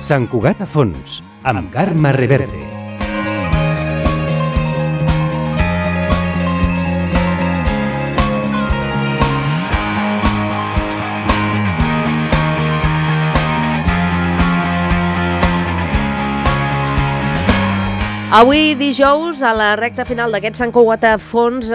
Sant Cugat a fons, amb Carme Reverte. Avui dijous, a la recta final d'aquest Sant Cugat a fons,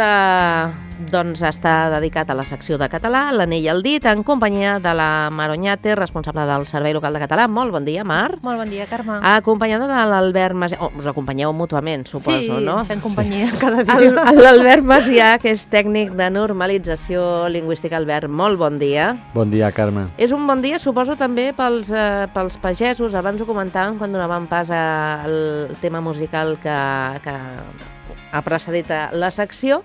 doncs està dedicat a la secció de català, l'anell al dit, en companyia de la Mar Oñate, responsable del Servei Local de Català. Molt bon dia, Mar. Molt bon dia, Carme. Acompanyada de l'Albert Macià. Us acompanyeu mútuament, suposo, no? Sí, fem companyia cada dia. L'Albert Macià, que és tècnic de normalització lingüística. Albert, molt bon dia. Bon dia, Carme. És un bon dia, suposo, també pels pagesos. Abans ho comentàvem quan donàvem pas al tema musical que ha precedit la secció.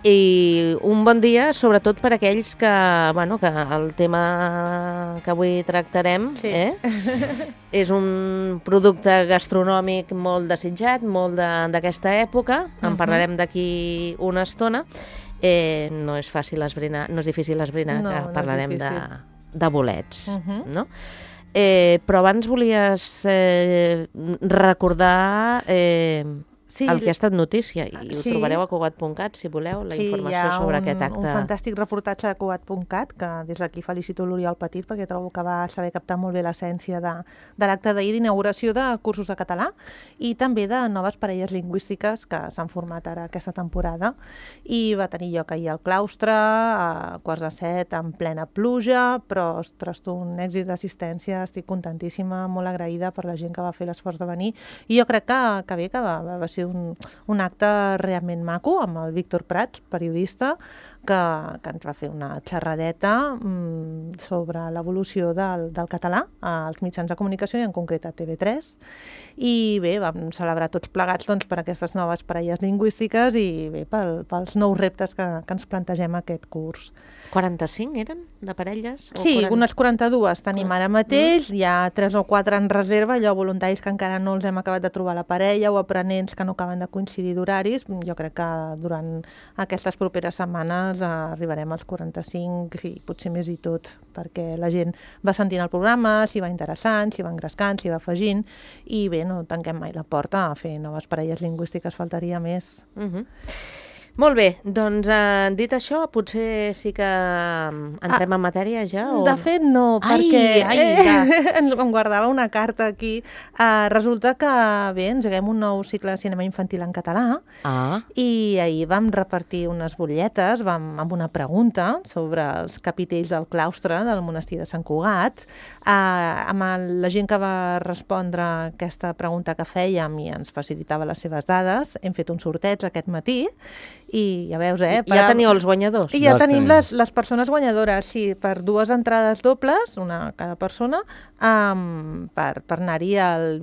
I un bon dia, sobretot per aquells que el tema que avui tractarem és un producte gastronòmic molt desitjat, molt d'aquesta època. En parlarem d'aquí una estona. No és fàcil esbrinar, no és difícil esbrinar que parlarem de bolets, no? Però abans volies recordar el que ha estat notícia, i ho trobareu a Cugat.cat, si voleu, la informació sobre aquest acte. Hi ha un fantàstic reportatge a Cugat.cat, que des d'aquí felicito l'Oriol Petit, perquè trobo que va saber captar molt bé l'essència de l'acte d'ahir d'inauguració de cursos de català i també de noves parelles lingüístiques que s'han format ara aquesta temporada. I va tenir lloc ahir al claustre, a 6:45, en plena pluja, però, ostres, un èxit d'assistència. Estic contentíssima, molt agraïda per la gent que va fer l'esforç de venir. I jo crec que bé, que va ser un acte realment maco, amb el Víctor Prats, periodista, que ens va fer una xerradeta sobre l'evolució del català als mitjans de comunicació i en concret a TV3. I bé, vam celebrar tots plegats per aquestes noves parelles lingüístiques i bé, pels nous reptes que ens plantegem aquest curs. 45 eren, de parelles? Sí, unes 42 tenim ara mateix, hi ha 3 o 4 en reserva, allò voluntaris que encara no els hem acabat de trobar la parella o aprenents que no acaben de coincidir d'horaris. Jo crec que durant aquestes properes setmanes arribarem als 45 i potser més i tot, perquè la gent va sentint el programa, s'hi va interessant, s'hi va engrescant, s'hi va afegint, i bé, no tanquem mai la porta a fer noves parelles lingüístiques, faltaria més. Molt bé, doncs dit això, potser sí que entrem en matèria ja? De fet no, perquè em guardava una carta aquí. Resulta que bé, engeguem un nou cicle de cinema infantil en català i ahir vam repartir unes butlletes amb una pregunta sobre els capitells del claustre del monestir de Sant Cugat. Amb la gent que va respondre aquesta pregunta que fèiem i ens facilitava les seves dades, hem fet un sorteig aquest matí. I ja veus, ja teniu els guanyadors? I ja tenim les persones guanyadores, sí, per 2 entrades dobles, una a cada persona, per anar-hi al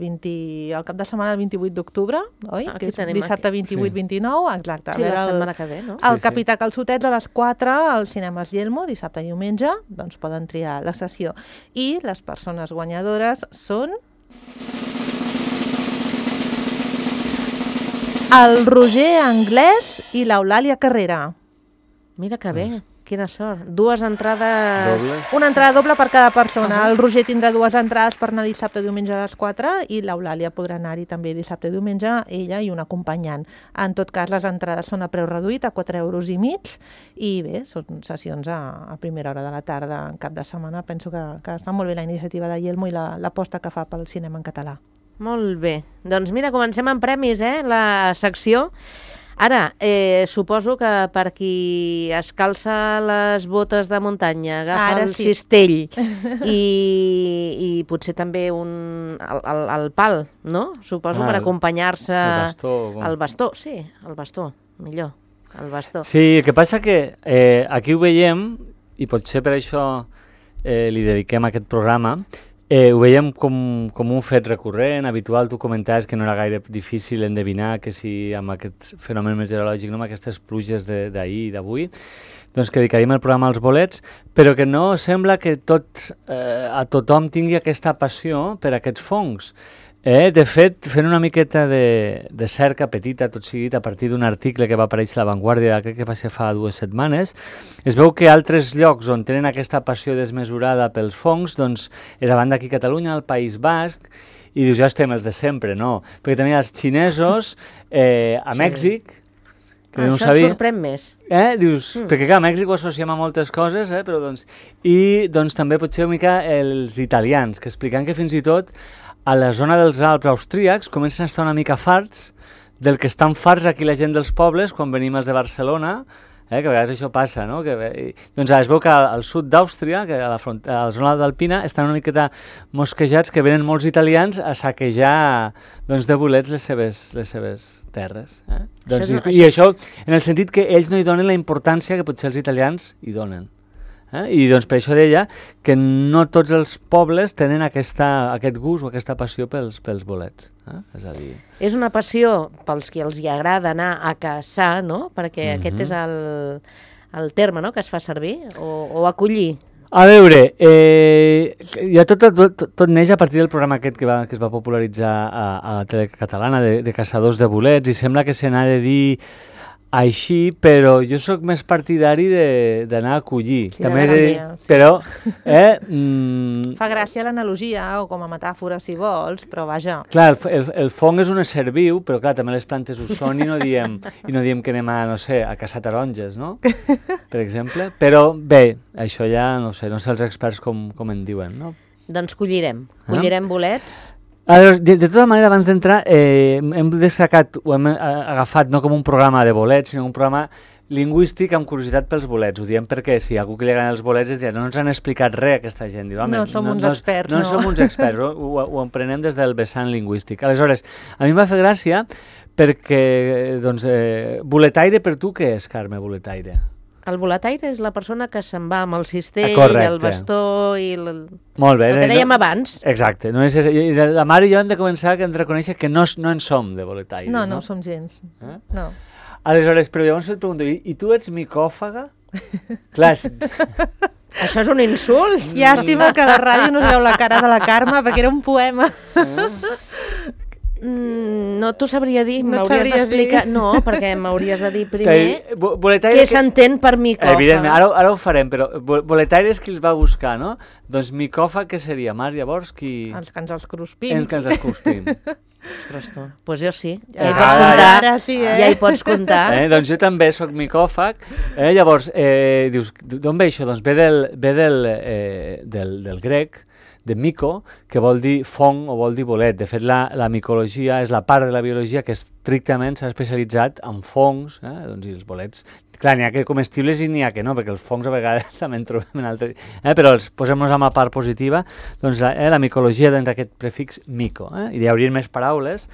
cap de setmana el 28 d'octubre, oi? Que és dissabte 28-29, exacte. Sí, la setmana que ve, no? El Capità Calçotets a les 4 al Cinemes Yelmo, dissabte i diumenge, doncs poden triar la sessió. I les persones guanyadores són el Roger Anglès i l'Eulàlia Carrera. Mira que bé, quina sort. 2 entrades... Una entrada doble per cada persona. El Roger tindrà 2 entrades per anar dissabte i diumenge a les 4 i l'Eulàlia podrà anar-hi també dissabte i diumenge, ella i un acompanyant. En tot cas, les entrades són a preu reduït, a 4,5 euros, i bé, són sessions a primera hora de la tarda, en cap de setmana. Penso que està molt bé la iniciativa de Yelmo i l'aposta que fa pel cinema en català. Molt bé. Doncs mira, comencem amb premis, la secció. Ara, suposo que per qui es calça les botes de muntanya, agafa el cistell i potser també el pal, no? Suposo per acompanyar-se... El bastó, sí, el bastó, millor, el bastó. Sí, el que passa que aquí ho veiem, i potser per això li dediquem aquest programa. Ho veiem com un fet recurrent, habitual. Tu comentaves que no era gaire difícil endevinar que si amb aquest fenomen meteorològic, amb aquestes pluges d'ahir i d'avui, doncs que dedicaríem el programa als bolets, però que no sembla que a tothom tingui aquesta passió per aquests fongs. De fet, fent una miqueta de cerca petita, tot seguit, a partir d'un article que va aparèixer a La Vanguardia, crec que va ser fa 2 setmanes, es veu que altres llocs on tenen aquesta passió desmesurada pels fongs, doncs, és a banda aquí a Catalunya, al País Basc, i dius, ja estem els de sempre, no? Perquè també els xinesos, a Mèxic, que no ho Això et sabia. sorprèn més. Dius, perquè clar, a Mèxic ho associem a moltes coses, però doncs... I doncs també potser una mica els italians, que expliquen que fins i tot a la zona dels Alps austríacs comencen a estar una mica farts del que estan farts aquí la gent dels pobles quan venim els de Barcelona, que a vegades això passa, no? Doncs es veu que al sud d'Àustria, que a la zona d'Alpina, estan una miqueta mosquejats que venen molts italians a saquejar doncs, de bolets les seves terres. Doncs, I això en el sentit que ells no hi donen la importància que potser els italians hi donen. I doncs per això deia que no tots els pobles tenen aquest gust o aquesta passió pels bolets. És a dir... És una passió pels que els hi agrada anar a caçar, no? Perquè aquest és el terme, no?, que es fa servir, o acollir. A veure, ja tot neix a partir del programa aquest que es va popularitzar a la tele catalana de caçadors de bolets, i sembla que se n'ha de dir així, però jo sóc més partidari d'anar a collir. Sí, sí. Però... Fa gràcia l'analogia, o com a metàfora, si vols, però vaja. Clar, el fong és un ésser viu, però clar, també les plantes ho són i no diem que anem a, no sé, a caçar taronges, no? Per exemple. Però bé, això ja, no sé els experts com en diuen, no? Doncs collirem bolets. De tota manera, abans d'entrar, hem destacat, ho hem agafat no com un programa de bolets, sinó un programa lingüístic amb curiositat pels bolets. Ho diem perquè si algú que li agraden els bolets es dirà, no ens han explicat res aquesta gent. Diu, no som uns experts, no. No som uns experts, ho emprenem des del vessant lingüístic. Aleshores, a mi em va fer gràcia perquè, doncs, boletaire per tu què és, Carme, boletaire? El boletaire és la persona que se'n va amb el cistell, el bastó i molt bé, el que dèiem abans. Exacte. La mare i jo hem de començar a reconèixer que no en som de boletaires. No ho som gens. No. Aleshores, però llavors et pregunto, i tu ets micòfaga? Clar, això és un insult. Llàstima que a la ràdio no es veu la cara de la Carme, perquè era un poema. No t'ho sabria dir, m'hauries d'explicar. No, perquè m'hauries de dir primer què s'entén per micòfag. Evidentment, ara ho farem, però boletaire és qui els va buscar, no? Doncs micòfag què seria, Mar, llavors? Els que ens els cruspim. Els que ens els cruspim. Ostres, tu. Doncs jo sí. Ja hi pots comptar. Ja hi pots comptar. Doncs jo també soc micòfag. Llavors, dius, d'on ve això? Doncs ve del grec, de mico, que vol dir fong o vol dir bolet. De fet, la micologia és la part de la biologia que estrictament s'ha especialitzat en fongs, doncs, i els bolets. Clar, n'hi ha que comestibles i n'hi ha que no, perquè els fongs a vegades també en trobem en altres... Però els posem-nos amb la part positiva, doncs la micologia dins d'aquest prefix mico. I hi haurien més paraules,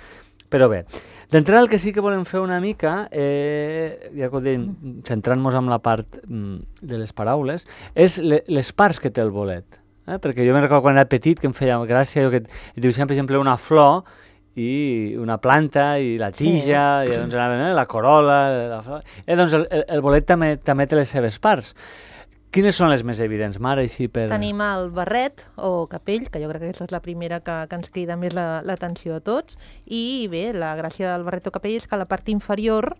però bé. D'entrada, el que sí que volem fer una mica, ja que ho dèiem, centrant-nos en la part de les paraules, és les parts que té el bolet. Perquè jo me'n recordo quan era petit que em feia gràcia que dibuixaven, per exemple, una flor i una planta i la tija, i doncs anaven la corola, la flor. Doncs el bolet també té les seves parts. Quines són les més evidents, Mare? Tenim el barret o capell, que jo crec que aquesta és la primera que ens crida més l'atenció a tots, i bé, la gràcia del barret o capell és que la part inferior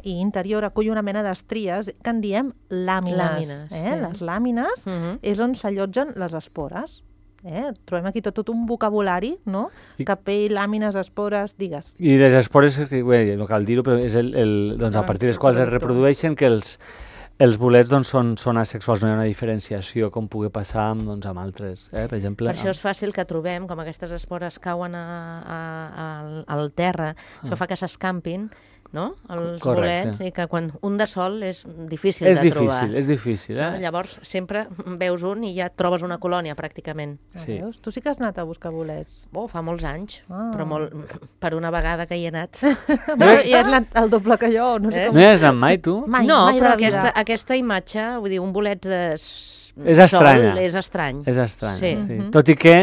i interior acull una mena d'estries que en diem làmines. Les làmines és on s'allotgen les espores. Trobem aquí tot un vocabulari, no? Capell, làmines, espores, digues. I les espores, no cal dir-ho, però és doncs, a partir dels quals es reprodueixen que els bolets doncs, són asexuals, no hi ha una diferenciació com pugui passar amb altres. Per exemple, per això és fàcil que trobem, com aquestes espores cauen al terra, això fa que s'escampin, no? Els bolets, i que quan un de sol és difícil de trobar. És difícil. Llavors sempre veus un i ja trobes una colònia pràcticament. Sí. Tu sí que has anat a buscar bolets? Fa molts anys, però per una vegada que hi he anat. I has anat el doble que jo. No hi has anat mai, tu? Mai, no, mai però aquesta imatge, vull dir, un bolet És estranya. sol és estrany. És estrany, Sí. sí. Tot i que,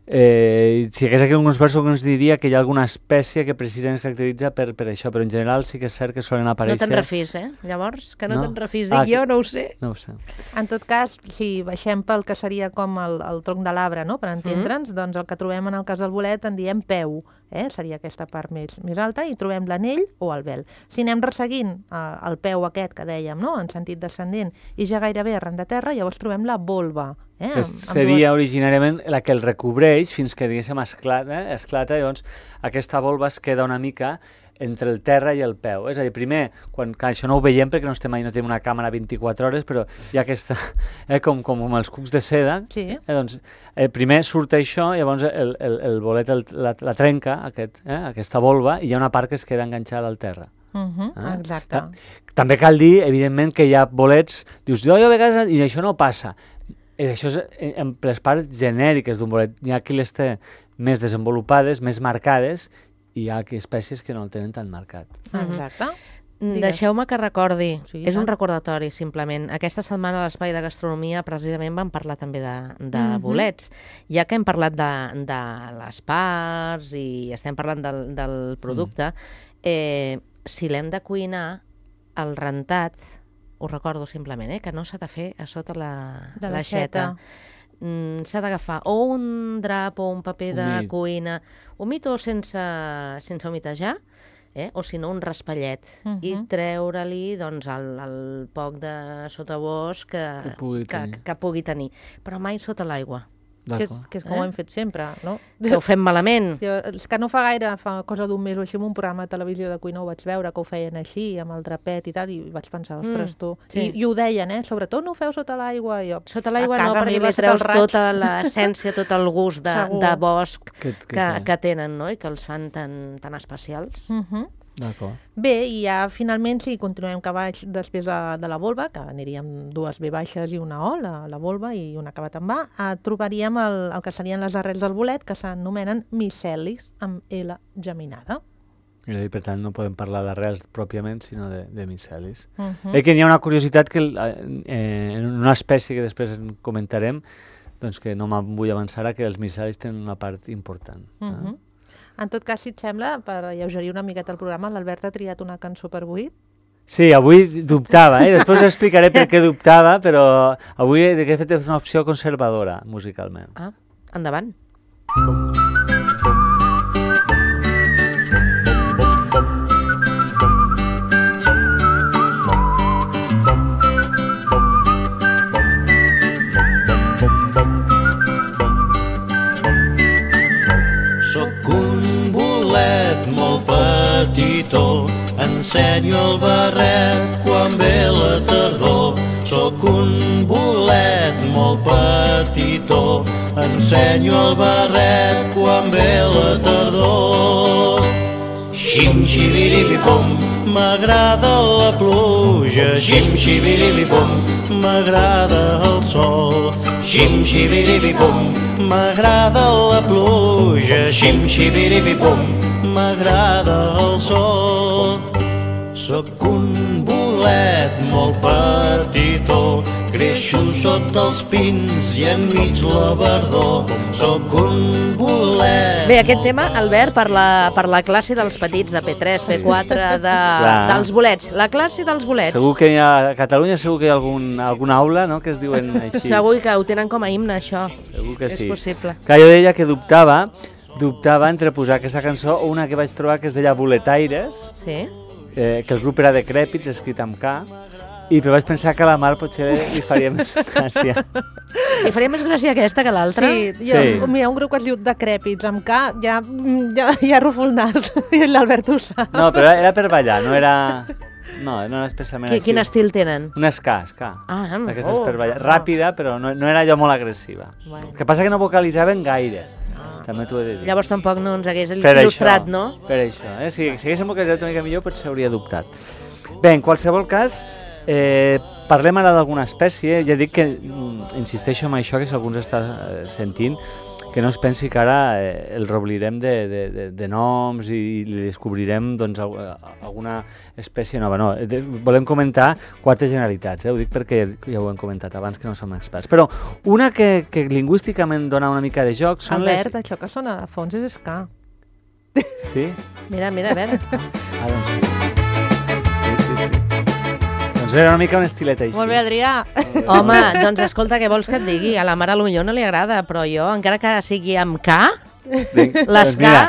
si hi hagués aquí alguns versos que ens diria que hi ha alguna espècie que precisament es caracteritza per això, però en general sí que és cert que solen No aparèixer... te'n refis, Llavors, que no No? te'n refis. Ah, Dic, jo no ho sé. No ho sé. En tot cas, si baixem pel que seria com el tronc de l'arbre, no?, per entendre'ns, doncs el que trobem en el cas del bolet en diem peu, seria aquesta part més alta, i trobem l'anell o el vel. Si anem resseguint el peu aquest que dèiem, no?, en sentit descendent, i ja gairebé arran de terra, llavors trobem la volva. Que seria originàriament la que el recobreix fins que, diguéssim, esclata, llavors aquesta volva es queda una mica entre el terra i el peu. És a dir, primer, quan això no ho veiem perquè no tenim una càmera 24 hores, però hi ha aquesta, com amb els cucs de seda, Sí. Doncs primer surt això, llavors el bolet la trenca, aquesta volva, i hi ha una part que es queda enganxada al terra. Exacte. També cal dir, evidentment, que hi ha bolets, dius, jo a vegades, i això no passa. Això és en les parts genèriques d'un bolet. Hi ha qui les té més desenvolupades, més marcades, i hi ha espècies que no el tenen tan marcat. Exacte. Digues. Deixeu-me que recordi, Sí, és un tant. recordatori simplement. Aquesta setmana a l'Espai de Gastronomia precisament vam parlar també de bolets. Ja que hem parlat de les parts i estem parlant del producte, si l'hem de cuinar, el rentat, ho recordo simplement, que no s'ha de fer a sota De l'aixeta. S'ha d'agafar o un drap o un paper de Humit. cuina, humit o sense humitejar, o si no un raspallet, i treure-li doncs, el poc de sotabosc que pugui tenir, però mai sota l'aigua, Que és com ho hem fet sempre, no? que ho fem malament. És que no fa gaire, fa cosa d'un mes o així, en un programa de televisió de cuina ho vaig veure, que ho feien així, amb el drapet i tal, i vaig pensar, ostres, tu... sí. I ho deien, sobretot no ho feu sota l'aigua. Sota l'aigua a no, casa perquè meva, li sota treus el raig. tota l'essència, tot el gust Segur. de bosc Que que tenen, no? I que els fan tan especials. D'acord. Bé, i ja finalment, si continuem cap baix després de la volva, que aniríem dues B baixes i una O, la volva i un acabat amb A, trobaríem el que serien les arrels del bolet, que s'anomenen micelis, amb L geminada. I per tant no podem parlar d'arrels pròpiament, sinó de micelis. Que n'hi ha una curiositat que en una espècie que després en comentarem, doncs que no me'n vull avançar, que els micelis tenen una part important. En tot cas, si et sembla, per alleugerir una miqueta el programa, l'Albert ha triat una cançó per avui. Sí, avui dubtava, després explicaré per què dubtava, però avui he fet una opció conservadora musicalment. Endavant. Soc un bolet molt petitó, ensenyo el barret quan ve la tardor. Soc un bolet molt petitó, ensenyo el barret quan ve la tardor. Xim-xibiribibom, m'agrada la pluja. Xim-xibiribibom, m'agrada el sol. Xim-xibiribibom, m'agrada la pluja. Xim-xibiribibom, m'agrada el sol. Soc un bolet molt petitó, creixo sota els pins i enmig la verdor. Soc un bolet... Bé, aquest tema, Albert, per la classe dels petits de P3, P4, dels bolets. La classe dels bolets. Segur que a Catalunya segur que hi ha alguna aula, no?, que es diuen així. Segur que ho tenen com a himne, això. Segur que sí. És possible. Clar, jo deia que dubtava entre posar aquesta cançó o una que vaig trobar que es deia Boletaires, Sí? que el grup era de Crèpits, escrit amb K, però vaig pensar que a la Mar potser li faria més gràcia. Li faria més gràcia aquesta que l'altra? Sí, mira, un grup que es diu Decrèpits, amb K, ja rufo el nas, i l'Albert ho sap. No, però era per ballar, no era especialment així. Quin estil tenen? Una ska. Aquesta és per ballar. Ràpida, però no era allò molt agressiva. Bueno. El que passa que no vocalitzaven gaire. També t'ho he de dir. Llavors tampoc no ens hagués il·lustrat, no? Per això. Si haguéssim vocalitzat una mica millor, potser hauria dubtat. Bé, en qualsevol cas, parlem ara d'alguna espècie. Ja dic que insisteixo en això, que si algú ens està sentint, que no es pensi que ara el reoblirem de noms i li descobrirem doncs, alguna espècie nova. No, volem comentar 4 generalitats, ho dic perquè ja ho hem comentat abans que no som experts. Però una que lingüísticament dona una mica de joc són Albert, això que sona de fons és ska. Sí? Mira, a veure. Doncs sí. Doncs era una mica un estilet així. Molt bé, Adrià. Home, doncs escolta, què vols que et digui? A la mare potser no li agrada, però jo, encara que sigui amb K, l'esca...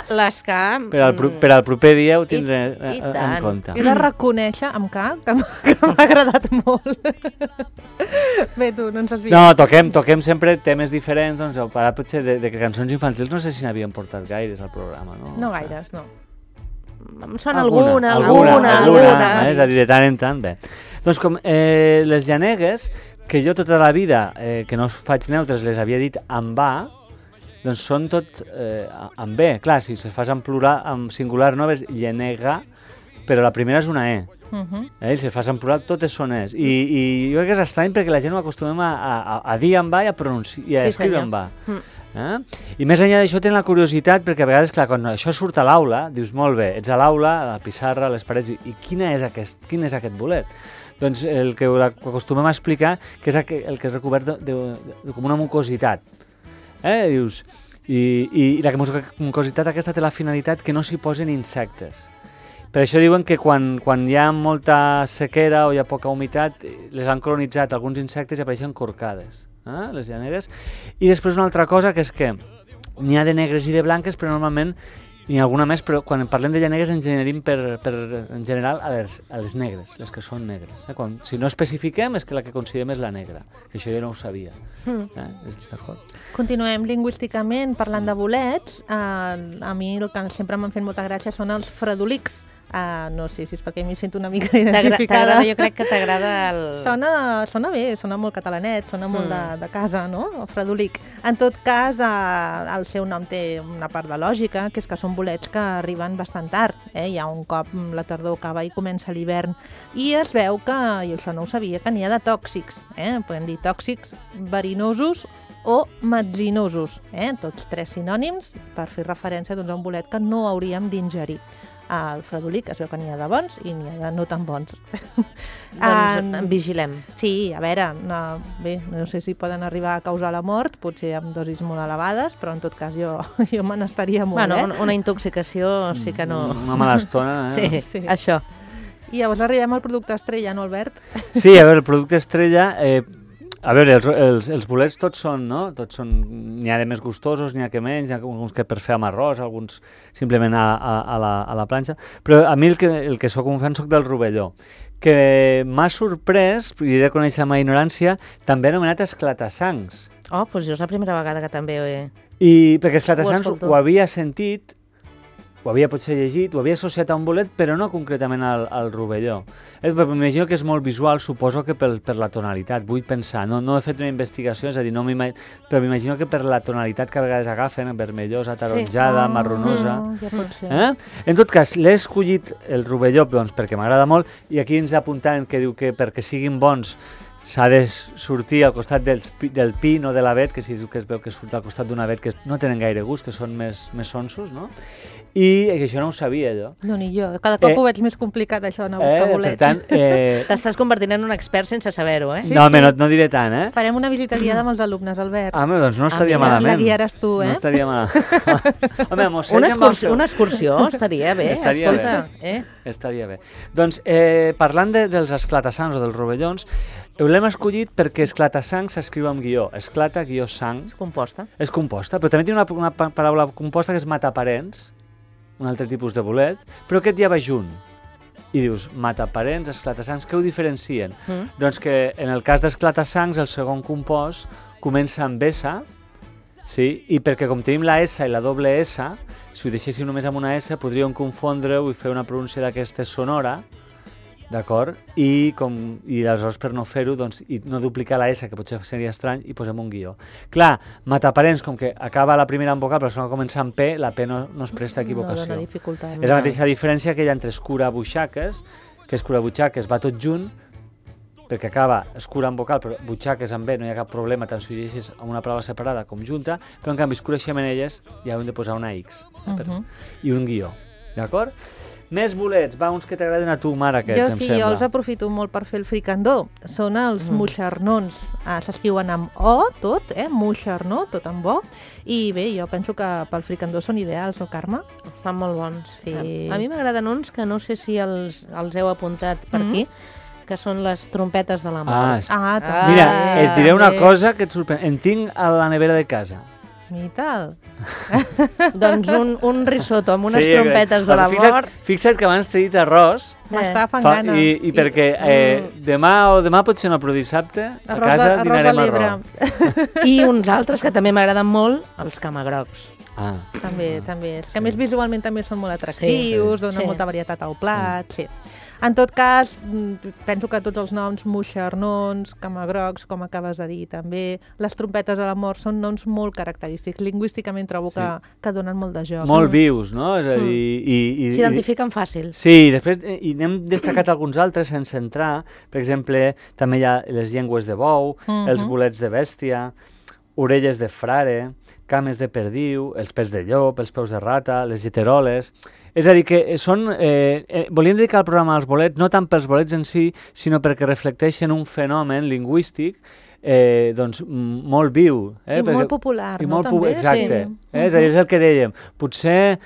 Per al proper dia ho tindré en compte. I de reconèixer amb K, que m'ha agradat molt. Bé, tu, no ens has vist. No, toquem sempre temes diferents, doncs ara potser de cançons infantils no sé si n'havien portat gaires al programa, no? No gaires, no. Em sona alguna. És a dir, de tant en tant, bé. Doncs com les llanegues, que jo tota la vida, que no faig neutres, les havia dit amb A, doncs són tot amb B. Clar, si se fas en plural, en singular no, és llenega, però la primera és una E. I si fas en plural, totes són Es. I jo crec que és estrany perquè la gent ho acostumem a dir amb A i a escriure amb A. I més enllà d'això tenen la curiositat perquè a vegades, clar, quan això surt a l'aula, dius, molt bé, ets a l'aula, a la pissarra, a les parets, i quin és aquest bolet? Doncs el que acostumem a explicar que és el que és recobert com una mucositat. Dius, i la mucositat aquesta té la finalitat que no s'hi posen insectes. Per això diuen que quan hi ha molta sequera o hi ha poca humitat, les han colonitzat alguns insectes i apareixen corcades, les llanegues. I després una altra cosa, que és que n'hi ha de negres i de blanques, però normalment n'hi ha alguna més, però quan parlem de llanegues ens generim en general a les negres, les que són negres. Si no especifiquem és que la que considerem és la negra, que això jo no ho sabia. Continuem lingüísticament parlant de bolets. A mi el que sempre m'han fet molta gràcia són els fredolics. No sé si és perquè m'hi sento una mica identificada. Jo crec que t'agrada el... Sona bé, sona molt catalanet, sona molt de casa, no? El fredolic. En tot cas, el seu nom té una part de lògica, que és que són bolets que arriben bastant tard. Ja un cop la tardor acaba i comença l'hivern. I es veu que, i això no ho sabia, que n'hi ha de tòxics. Podem dir tòxics, verinosos o metzinosos. Tots 3 sinònims per fer referència a un bolet que no hauríem d'ingerir. Al fredolic es veu que n'hi ha de bons i n'hi ha de no tan bons. Doncs en vigilem. Sí, a veure, no sé si poden arribar a causar la mort, potser amb dosis molt elevades, però en tot cas jo me n'estaria molt bé. Una intoxicació sí que no... Una mala estona, Sí, això. I llavors arribem al producte estrella, no, Albert? Sí, a veure, el producte estrella... A veure, els bolets tots són, no? N'hi ha de més gustosos, n'hi ha que menys, n'hi ha alguns que per fer amb arròs, alguns simplement a la planxa, però a mi el que soc un fan soc del rovelló, que m'ha sorprès, i he de conèixer la meva ignorància, també anomenat esclatassancs. Doncs jo és la primera vegada que també ho he... I perquè esclatassancs ho havia sentit, ho havia potser llegit, ho havia associat a un bolet, però no concretament al rovelló. M'imagino que és molt visual, suposo que per la tonalitat, vull pensar, no he fet una investigació, és a dir, però m'imagino que per la tonalitat que a vegades agafen, vermellosa, taronjada, marronosa... Ja pot ser. En tot cas, l'he escollit el rovelló perquè m'agrada molt, i aquí ens apuntaven que diu que perquè siguin bons s'ha de sortir al costat del pi, no de l'avet, que si es veu que surt al costat d'un avet que no tenen gaire gust, que són més sonsos, no? I això no ho sabia, jo. No, ni jo. Cada cop ho veig més complicat, això, anar a buscar bolets. Per tant... T'estàs convertint en un expert sense saber-ho, Sí, no, no diré tant, Farem una visita guiada amb els alumnes, Albert. Doncs no estaria malament. La guiaràs tu, No estaria malament. Una excursió estaria bé, escolta. Estaria bé. Doncs, parlant dels esclatassancs o dels rovellons, l'hem escollit perquè esclatassanc s'escriu amb guió. Esclata, guió, sang. És composta. És composta, però també té una paraula composta que és mataparents, un altre tipus de bolet, però aquest ja va junt. I dius, mataparents, esclatassancs, què ho diferencien? Doncs que en el cas d'esclatassancs el segon compost comença amb S, sí? I perquè com tenim la S i la doble S, si ho deixéssim només amb una S podríem confondre-ho i fer una pronúncia d'aquesta sonora, d'acord? I aleshores per no fer-ho, doncs, i no duplicar la S, que potser seria estrany, i posem un guió. Clar, mataparents, com que acaba la primera en vocal, però la segona comença amb P, la P no es presta a equivocació. No dona dificultat. És la mateixa diferència que hi ha entre escurabutxaques, que escurabutxaques va tot junt, perquè acaba escura en vocal, però butxaques amb B no hi ha cap problema, tant si ho llegeixes amb una paraula separada com junta, però en canvi escura xemenelles ja hem de posar una X i un guió, d'acord? Més bolets, va, uns que t'agraden a tu, Mara, aquests, em sembla. Jo els aprofito molt per fer el fricandó. Són els moixernons. S'escriuen amb O, tot, moixernó, tot amb O. I bé, jo penso que pel fricandó són ideals, no, Carme? Estan molt bons. Sí. A mi m'agraden uns que no sé si els heu apuntat per aquí, que són les trompetes de la mort. També. Mira, et diré una també. cosa que et sorprèn. En tinc a la nevera de casa. I tal. Doncs un risotto amb unes trompetes de la mort. Fixa't que abans t'he dit arròs, M'està fent gana. i perquè demà potser no, però dissabte a casa dinarem arròs. I uns altres que també m'agraden molt, els camagrocs. També. És que a més visualment també són molt atractius, donen molta varietat al plat, sí. En tot cas, penso que tots els noms, moixernons, camagrocs, com acabes de dir també, les trompetes de la mort són noms molt característics. Lingüísticament trobo que donen molt de joc. Molt vius, no? És a dir... S'identifiquen fàcil. Sí, després n'hem destacat alguns altres sense entrar. Per exemple, també hi ha les llengües de bou, els bolets de bèstia, orelles de frare, cames de perdiu, els pèls de llop, els peus de rata, les lleteroles... És a dir, que són... volíem dedicar el programa als bolets, no tant pels bolets en si, sinó perquè reflecteixen un fenomen lingüístic doncs, molt viu. I molt popular, no? També? Exacte. És a dir, és el que dèiem. Potser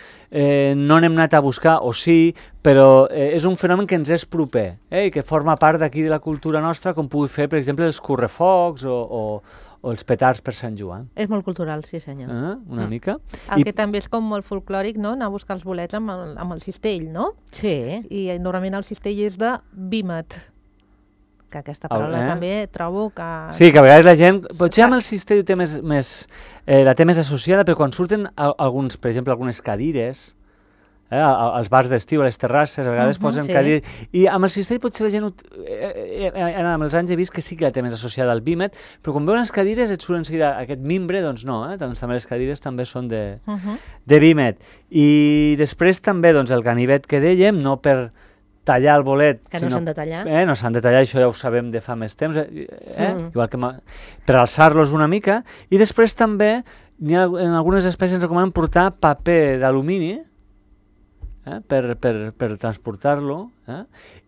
no n'hem anat a buscar, o sí, però és un fenomen que ens és proper i que forma part d'aquí de la cultura nostra, com pugui fer, per exemple, els correfocs o els petards per Sant Joan. És molt cultural, sí senyor. Una mica. El que també és com molt folclòric, no?, anar a buscar els bolets amb el cistell, no? Sí. I normalment el cistell és de vímet, que aquesta paraula també trobo que... Sí, que a vegades la gent... Potser amb el cistell la té més associada, però quan surten alguns, per exemple, algunes cadires... als bars d'estiu, a les terrasses, a vegades posen cadires... I amb el cistell potser la gent... amb els anys he vist que sí que la té més associada al vímet, però quan veuen les cadires et surt en seguida aquest mimbre, doncs no, doncs també les cadires també són de vímet. I després també doncs, el ganivet que dèiem, no per tallar el bolet... Que no s'han de tallar. No s'han de tallar, això ja ho sabem de fa més temps, igual que per alçar-los una mica. I després també, en algunes espècies ens recomanen portar paper d'alumini, per transportar-lo,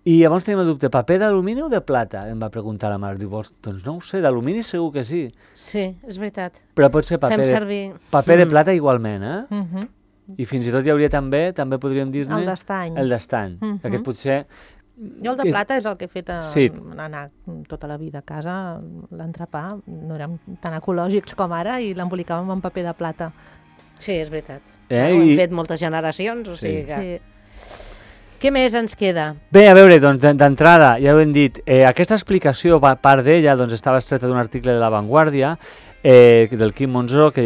i llavors tenim el dubte, paper d'alumini o de plata? Em va preguntar la mare, diu, doncs no ho sé, d'alumini segur que sí. Sí, és veritat. Però pot ser paper de plata igualment, I fins i tot hi hauria també podríem dir-ne... El d'estany. El d'estany, aquest potser... Jo el de plata és el que he fet anar tota la vida a casa, l'entrepà, no érem tan ecològics com ara i l'embolicàvem en paper de plata. Sí, és veritat. Ho hem fet moltes generacions, o sigui que... Què més ens queda? Bé, a veure, doncs, d'entrada, ja ho hem dit, aquesta explicació, part d'ella, doncs, estava extreta d'un article de La Vanguardia, del Quim Monzó, que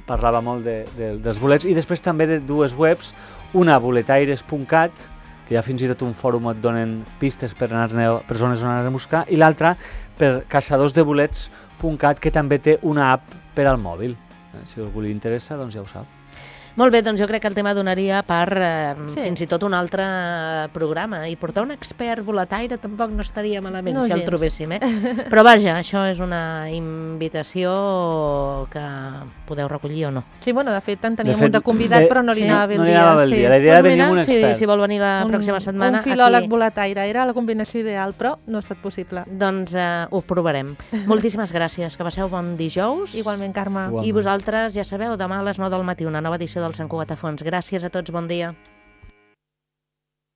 parlava molt dels bolets, i després també de dues webs, una boletaires.cat, que ja fins i tot un fòrum et donen pistes per zones on anar a buscar, i l'altra per caçadorsdebolets.cat, que també té una app per al mòbil. Si a algú li interessa, doncs ja ho sap. Molt bé, doncs jo crec que el tema donaria per fins i tot un altre programa. I portar un expert boletaire tampoc no estaria malament si el trobéssim. Però vaja, això és una invitació que podeu recollir o no. Sí, bueno, de fet en teníem un de convidat, però no li anava bé el dia. La idea era venir amb un expert. Si vol venir la pròxima setmana... Un filòleg boletaire, era la combinació ideal, però no ha estat possible. Doncs ho provarem. Moltíssimes gràcies, que passeu bon dijous. Igualment, Carme. I vosaltres, ja sabeu, demà a les 9 del matí, una nova edició del Sant Cugat a Fons. Gràcies a tots, bon dia.